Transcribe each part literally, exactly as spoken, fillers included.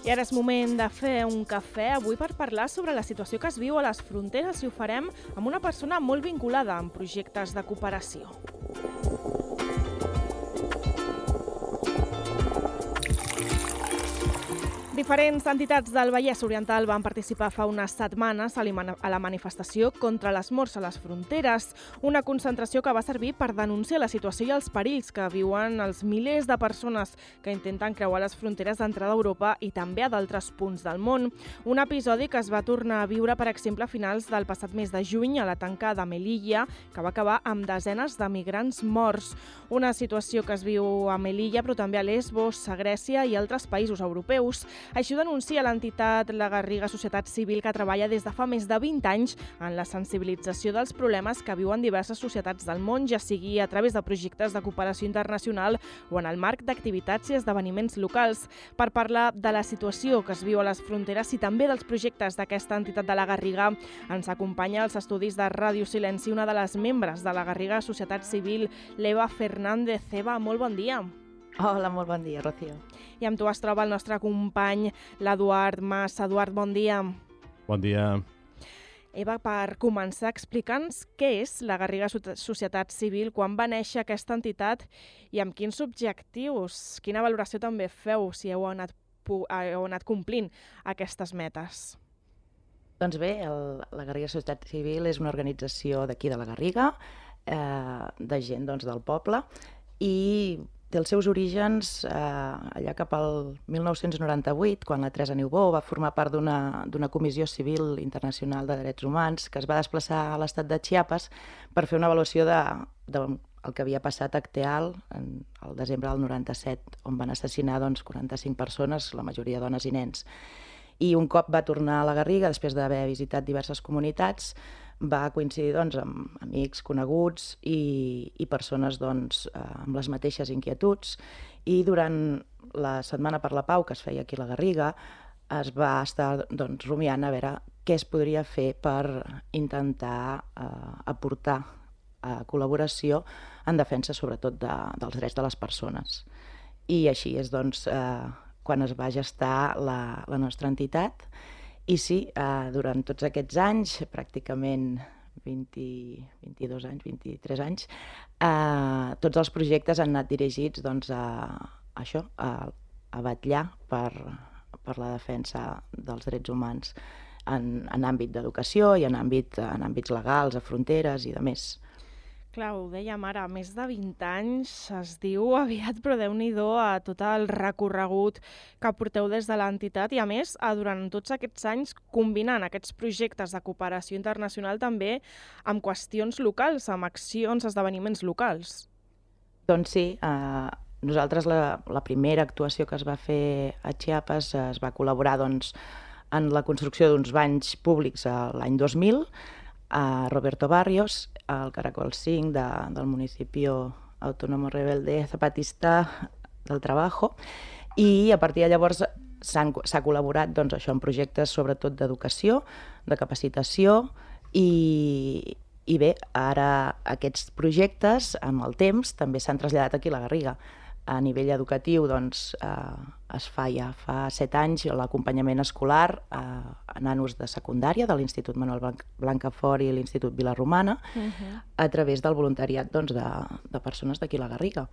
I ara és moment de fer un cafè avui per parlar sobre la situació que es viu a les fronteres i ho farem amb una persona molt vinculada amb projectes de cooperació. Diferents entitats del Vallès Oriental van participar fa unes setmanes a la manifestació contra les morts a les fronteres, una concentració que va servir per denunciar la situació i els perills que viuen els milers de persones que intenten creuar les fronteres d'entrada a Europa i també a d'altres punts del món. Un episodi que es va tornar a viure, per exemple, a finals del passat mes de juny a la tanca de Melilla, que va acabar amb desenes de migrants morts. Una situació que es viu a Melilla, però també a Lesbos, a Grècia i altres països europeus. Així ho denuncia l'entitat La Garriga Societat Civil, que treballa des de fa més de vint anys en la sensibilització dels problemes que viuen diverses societats del món, ja sigui a través de projectes de cooperació internacional o en el marc d'activitats i esdeveniments locals. Per parlar de la situació que es viu a les fronteres i també dels projectes d'aquesta entitat de La Garriga, ens acompanya als estudis de Ràdio Silenci una de les membres de La Garriga Societat Civil, l'Eva Fernández. Eva, molt bon dia. Hola, molt bon dia, Rocío. I amb tu es troba el nostre company, l'Eduard Mas. Eduard, bon dia. Bon dia. Eva, per començar, explica'ns què és la Garriga Societat Civil, quan va néixer aquesta entitat i amb quins objectius, quina valoració també feu si heu anat, heu anat complint aquestes metes. Doncs bé, el, la Garriga Societat Civil és una organització d'aquí de la Garriga, eh, de gent doncs, del poble, i té els seus orígens eh, allà cap al mil nou-cents noranta-vuit, quan la Teresa Niubó va formar part d'una d'una comissió civil internacional de drets humans que es va desplaçar a l'estat de Chiapas per fer una avaluació de, de el que havia passat a Acteal en el desembre del noranta-set, on van assassinar doncs, quaranta-cinc persones, la majoria dones i nens. I un cop va tornar a la Garriga, després d'haver visitat diverses comunitats, va coincidir doncs, amb amics, coneguts i, i persones doncs, amb les mateixes inquietuds. I durant la Setmana per la Pau, que es feia aquí a la Garriga, es va estar doncs, rumiant a veure què es podria fer per intentar eh, aportar eh, col·laboració en defensa sobretot de, dels drets de les persones. I així és doncs, eh, quan es va gestar la, la nostra entitat. I sí, eh, durant tots aquests anys, pràcticament vint, vint-i-dos anys, vint-i-tres anys, eh, tots els projectes han anat dirigits doncs, a, a això, a, a vetllar per, per la defensa dels drets humans en, en àmbit d'educació i en, àmbit, en àmbits legals, a fronteres i de més. Clar, ho dèiem ara, més de vint anys, es diu aviat, però Déu-n'hi-do a tot el recorregut que porteu des de l'entitat i, a més, durant tots aquests anys combinant aquests projectes de cooperació internacional també amb qüestions locals, amb accions, esdeveniments locals. Doncs sí, eh, nosaltres la, la primera actuació que es va fer a Chiapas es va col·laborar doncs, en la construcció d'uns banys públics l'any dos mil, a Roberto Barrios, al Caracol cinc de, del Municipio Autónomo Rebelde Zapatista del Trabajo, i a partir de llavors s'ha col·laborat doncs, això, en projectes sobretot d'educació, de capacitació, i, i bé, ara aquests projectes amb el temps també s'han traslladat aquí a la Garriga. A nivell educatiu doncs, eh, es fa ja fa set anys l'acompanyament escolar eh, a nanos de secundària de l'Institut Manuel Blancafort i l'Institut Vila-romana, uh-huh. a través del voluntariat doncs, de, de persones d'aquí a la Garriga.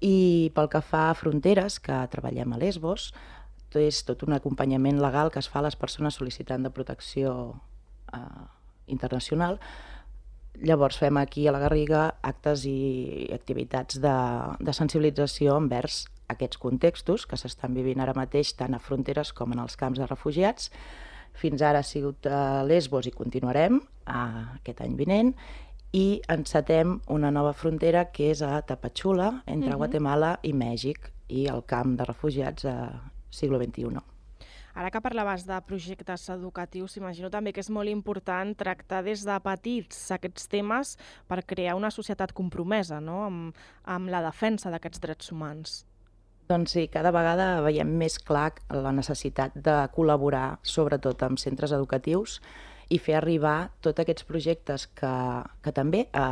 I pel que fa a fronteres, que treballem a Lesbos, és tot un acompanyament legal que es fa a les persones sol·licitant de protecció eh, internacional. Llavors fem aquí a la Garriga actes i activitats de, de sensibilització envers aquests contextos que s'estan vivint ara mateix tant a fronteres com en els camps de refugiats. Fins ara ha sigut a Lesbos i continuarem a aquest any vinent, i encetem una nova frontera que és a Tapachula, entre uh-huh. Guatemala i Mèxic, i el camp de refugiats a siglo vint-i-u. Ara que parlaves de projectes educatius, imagino també que és molt important tractar des de petits aquests temes per crear una societat compromesa, no? amb, amb la defensa d'aquests drets humans. Doncs sí, cada vegada veiem més clar la necessitat de col·laborar, sobretot amb centres educatius i fer arribar tots aquests projectes que, que també a,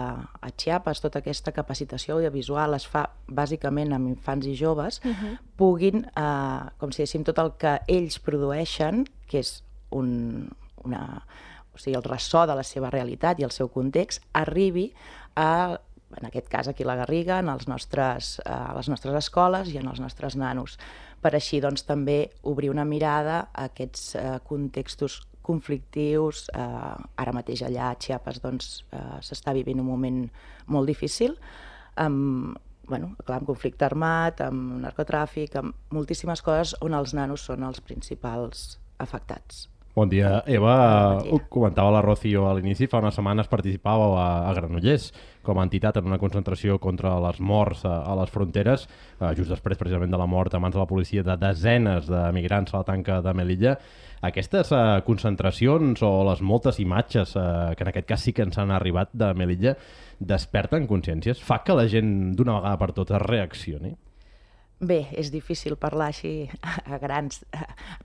a Chiapas, tota aquesta capacitació audiovisual es fa bàsicament amb infants i joves, uh-huh. puguin, eh, com si diguéssim, tot el que ells produeixen, que és un, una, o sigui, el ressò de la seva realitat i el seu context, arribi a, en aquest cas aquí a la Garriga, en els nostres, a les nostres escoles i en els nostres nanos, per així doncs també obrir una mirada a aquests eh, contextos conflictius. Eh, ara mateix allà a Chiapas doncs, eh, s'està vivint un moment molt difícil, amb, bueno, clar, amb conflicte armat, amb narcotràfic, amb moltíssimes coses on els nanos són els principals afectats. Bon dia, Eva. Bon dia. Ho comentava la Rocío a l'inici, fa unes setmanes participàveu a, a Granollers com a entitat en una concentració contra les morts a, a les fronteres, eh, just després precisament de la mort a mans de la policia de desenes de migrants a la tanca de Melilla. Aquestes eh, concentracions o les moltes imatges, eh, que en aquest cas sí que ens han arribat de Melilla, desperten consciències? Fa que la gent d'una vegada per totes reaccioni? Bé, és difícil parlar així a grans,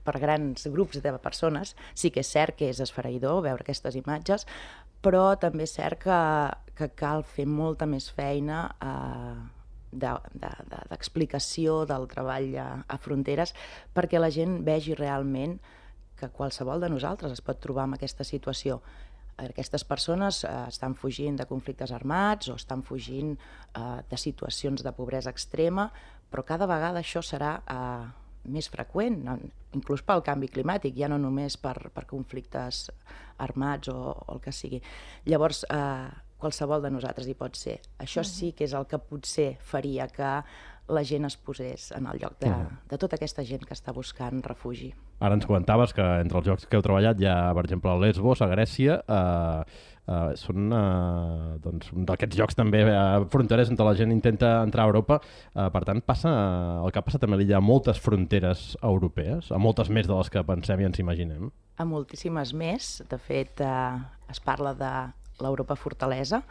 per grans grups de persones. Sí que és cert que és esfereïdor veure aquestes imatges, però també és cert que, que cal fer molta més feina eh, d'explicació de, de, del treball a, a fronteres perquè la gent vegi realment que qualsevol de nosaltres es pot trobar en aquesta situació. Aquestes persones eh, estan fugint de conflictes armats o estan fugint eh, de situacions de pobresa extrema, però cada vegada això serà eh, més freqüent, inclús pel canvi climàtic, ja no només per, per conflictes armats o, o el que sigui. Llavors, eh, qualsevol de nosaltres hi pot ser. Això sí que és el que potser faria que la gent es posés en el lloc de, de tota aquesta gent que està buscant refugi. Ara ens comentaves que entre els llocs que heu treballat hi ha, per exemple, a Lesbos, a Grècia, eh, eh, són eh, doncs, un d'aquests llocs també eh, fronterers on la gent intenta entrar a Europa. Eh, per tant, passa el que ha passat a Melilla a moltes fronteres europees, a moltes més de les que pensem i ens imaginem. A moltíssimes més. De fet, eh, es parla de l'Europa fortalesa,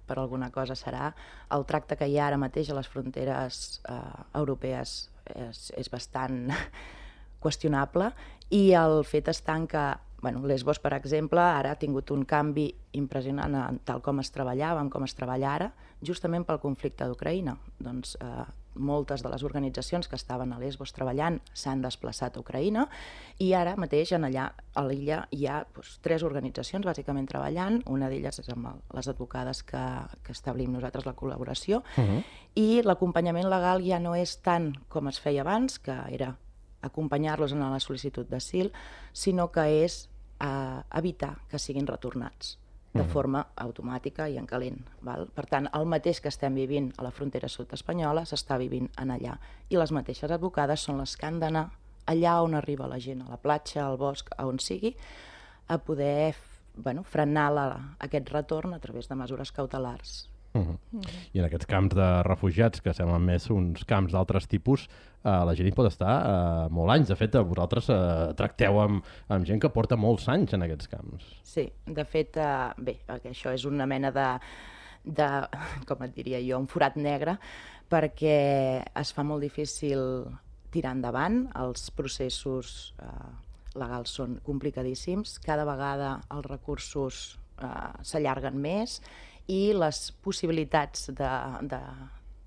per alguna cosa serà. El tracte que hi ha ara mateix a les fronteres eh, europees és, és bastant qüestionable i el fet està en que, bueno, Lesbos, per exemple, ara ha tingut un canvi impressionant en tal com es treballava, en com es treballa ara, justament pel conflicte d'Ucraïna. Doncs eh, moltes de les organitzacions que estaven a Lesbos treballant s'han desplaçat a Ucraïna i ara mateix en allà a l'illa hi ha doncs, tres organitzacions bàsicament treballant. Una d'elles és amb les advocades que, que establim nosaltres la col·laboració uh-huh. i l'acompanyament legal ja no és tant com es feia abans, que era acompanyar-los en la sol·licitud d'asil, sinó que és eh, evitar que siguin retornats de forma automàtica i en calent. Val? Per tant, el mateix que estem vivint a la frontera sud espanyola s'està vivint en allà. I les mateixes advocades són les que han d'anar allà on arriba la gent, a la platja, al bosc, a on sigui, a poder bueno, frenar la, aquest retorn a través de mesures cautelars. Uh-huh. Uh-huh. I en aquests camps de refugiats, que semblen més uns camps d'altres tipus, eh, la gent hi pot estar eh, molts anys. De fet, vosaltres eh, tracteu amb, amb gent que porta molts anys en aquests camps. Sí, de fet, eh, bé, això és una mena de, de, com et diria jo, un forat negre, perquè es fa molt difícil tirar endavant. Els processos eh, legals són complicadíssims. Cada vegada els recursos eh, s'allarguen més i les possibilitats de, de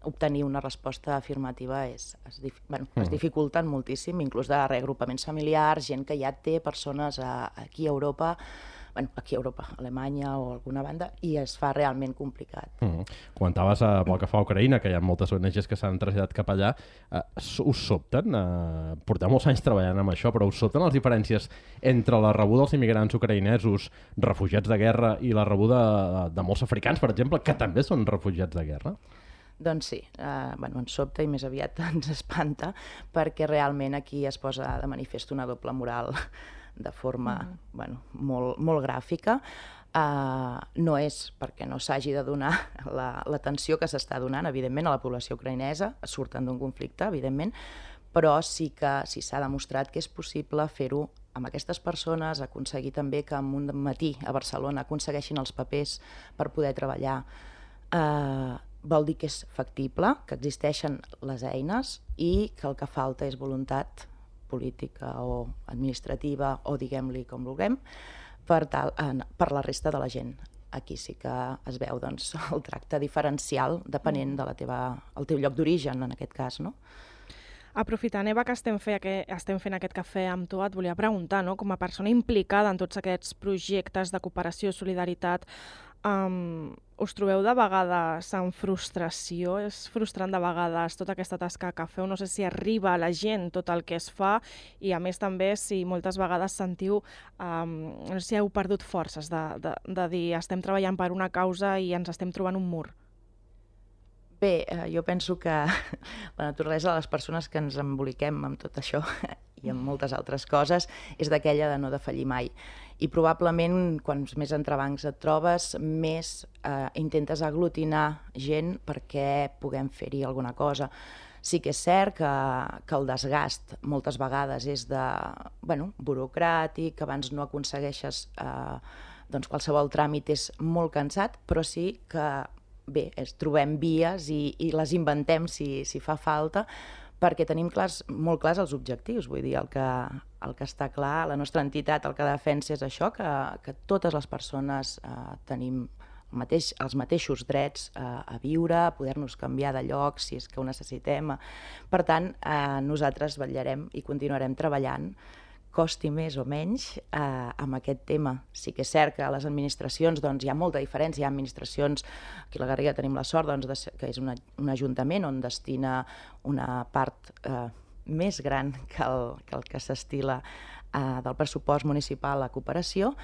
obtenir una resposta afirmativa és, es, bueno, es dificulten moltíssim, inclús de reagrupaments familiars, gent que ja té persones a, aquí a Europa, bueno, aquí a Europa, a Alemanya o alguna banda, i es fa realment complicat. Mm. Comentaves eh, pel que fa a Ucraïna, que hi ha moltes O N Ges que s'han traslladat cap allà. Eh, us sobten? Eh, porteu molts anys treballant amb això, però us sobten les diferències entre la rebuda dels immigrants ucraïnesos, refugiats de guerra, i la rebuda de, de molts africans, per exemple, que també són refugiats de guerra? Doncs sí, eh, bueno, ens sobta i més aviat ens espanta, perquè realment aquí es posa de manifest una doble moral de forma mm. bueno, molt, molt gràfica. Uh, no és perquè no s'hagi de donar l'atenció la, que s'està donant, evidentment, a la població ucraïnesa, surten d'un conflicte, evidentment, però sí que sí s'ha demostrat que és possible fer-ho amb aquestes persones, aconseguir també que en un matí a Barcelona aconsegueixin els papers per poder treballar. Uh, vol dir que és factible, que existeixen les eines i que el que falta és voluntat política o administrativa o diguem-li com vulguem, per, tal, per la resta de la gent. Aquí sí que es veu doncs, el tracte diferencial depenent del de el teu lloc d'origen, en aquest cas, no? Aprofitant, Eva, que estem, fe, que estem fent aquest cafè amb tu, et volia preguntar, no? Com a persona implicada en tots aquests projectes de cooperació i solidaritat, um, us trobeu de vegades en frustració? És frustrant de vegades tota aquesta tasca que feu? No sé si arriba a la gent tot el que es fa i, a més, també si moltes vegades sentiu, um, no sé si heu perdut forces de, de, de dir estem treballant per una causa i ens estem trobant un mur. Bé, eh, jo penso que la naturalesa de les persones que ens emboliquem amb tot això i amb moltes altres coses és d'aquella de no defallir mai. I probablement, quants més entrebancs et trobes, més eh, intentes aglutinar gent perquè puguem fer-hi alguna cosa. Sí que és cert que, que el desgast moltes vegades és de, bueno, burocràtic, abans no aconsegueixes, eh, doncs qualsevol tràmit és molt cansat, però sí que bé, es, trobem vies i, i les inventem si, si fa falta, perquè tenim clars, molt clars els objectius. Vull dir, el que, el que està clar, la nostra entitat el que defensa és això, que, que totes les persones eh, tenim el mateix, els mateixos drets eh, a viure, a poder-nos canviar de lloc si és que ho necessitem. Per tant, eh, nosaltres vetllarem i continuarem treballant, costi més o menys, eh, amb aquest tema. Sí que és cert que a les administracions doncs, hi ha molta diferència. Hi ha administracions, aquí a la Garriga tenim la sort doncs, de ser, que és una, un ajuntament on destina una part eh, més gran que el que, el que s'estila eh, del pressupost municipal a cooperació,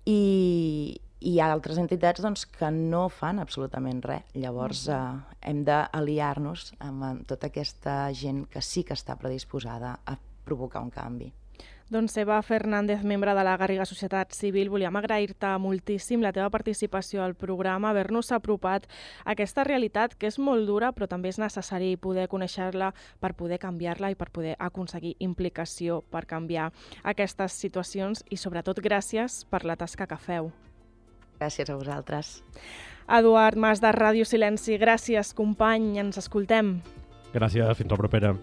i, i hi ha altres entitats doncs, que no fan absolutament res. Llavors eh, hem d'aliar-nos amb tota aquesta gent que sí que està predisposada a provocar un canvi. Doncs Eva Fernández, membre de la Garriga Societat Civil, volíem agrair-te moltíssim la teva participació al programa, haver-nos apropat a aquesta realitat que és molt dura però també és necessari poder conèixer-la per poder canviar-la i per poder aconseguir implicació per canviar aquestes situacions i sobretot gràcies per la tasca que feu. Gràcies a vosaltres. Eduard Mas de Ràdio Silenci, gràcies company, ens escoltem. Gràcies, fins la propera.